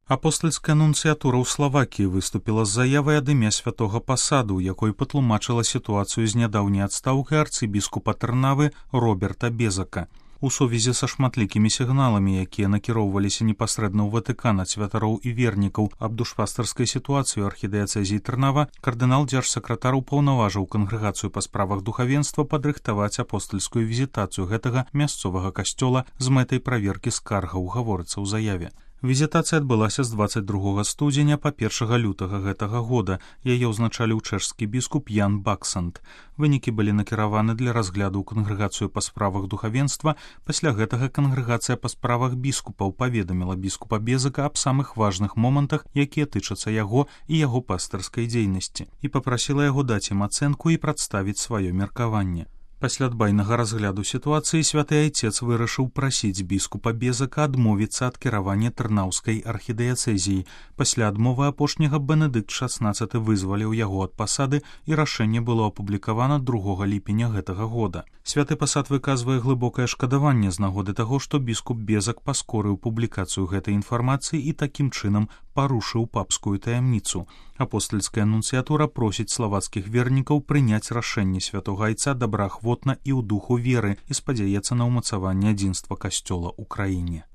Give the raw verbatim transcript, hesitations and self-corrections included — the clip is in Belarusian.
Апостальская нунцыятура ў Славакіі выступіла з заявай ад імя святога пасаду, у якой патлумачыла сітуацыю з нядаўняй адстаўкай арцыбіскупа Тэрнавы Роберта Безака. У сувязі са шматлікімі сігналамі, якія накіроўваліся непасрэдна ў Ватыкан ад святароў і вернікаў аб душпастарскай сітуацыі ў архідыяцэзіі Тэрнава, кардынал дзяржсакратар упаўнаважыў кангрэгацыю па справах духавенства падрыхтаваць апостальскую візітацыю гэтага мясцовага касцёла з мэтай праверкі скаргаў, гаворыцца ў заяве. Візітацыя адбылася з дваццаць другога студзеня па першага лютага гэтага года. Яе ўзначаліў чэшскі біскуп Ян Баксанд. Вынікі былі накіраваны для разгляду ў кангрэгацыю па справах духавенства. Пасля гэтага кангрэгацыя па справах біскупаў паведаміла біскупа Безака аб самых важных момантах, якія тычацца яго і яго пастырскай дзейнасці, і папрасіла яго даць ім ацэнку і прадставіць сваё меркаванне. Пасля дбайнага разгляду сітуацыі святы айцец вырашыў прасіць біскупа Безака адмовіцца ад кіравання тэрнаўскай архідыяцэзіі. Пасля адмовы апошняга Бенедыкт шаснаццаты вызваліў яго ад пасады, і рашэнне было апублікавана другога ліпеня гэтага года. Святы пасад выказвае глыбокае шкадаванне з нагоды таго, што біскуп Безак паскорыў публікацыю гэтай інфармацыі і такім чынам парушыў папскую таямніцу. Апостальская нунцыятура просіць славацкіх вернікаў прыняць рашэнне святога айца добраахвотна і ў духу веры і спадзяецца на ўмацаванне адзінства касцёла ў краіне.